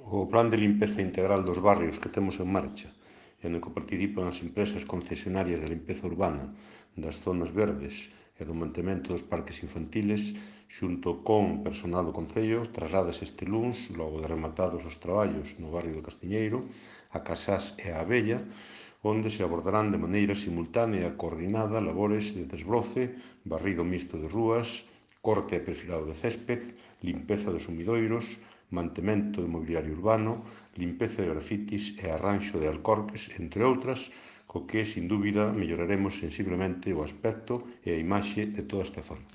O plan de limpeza integral dos barrios que temos en marcha e no que participan as empresas concesionarias de limpeza urbana das zonas verdes e do mantemento dos parques infantiles xunto con personal do Concello trasládase este luns, logo de rematados os traballos no barrio do Castiñeiro, a Casás e a Abella, onde se abordarán de maneira simultánea e coordinada labores de desbroce, barrido mixto de rúas, corte e perfilado de césped, limpeza dos sumidoiros, mantemento de mobiliario urbano, limpeza de grafitis e arranxo de alcorques, entre outras, co que, sin dúbida, melloraremos sensiblemente o aspecto e a imaxe de toda esta zona.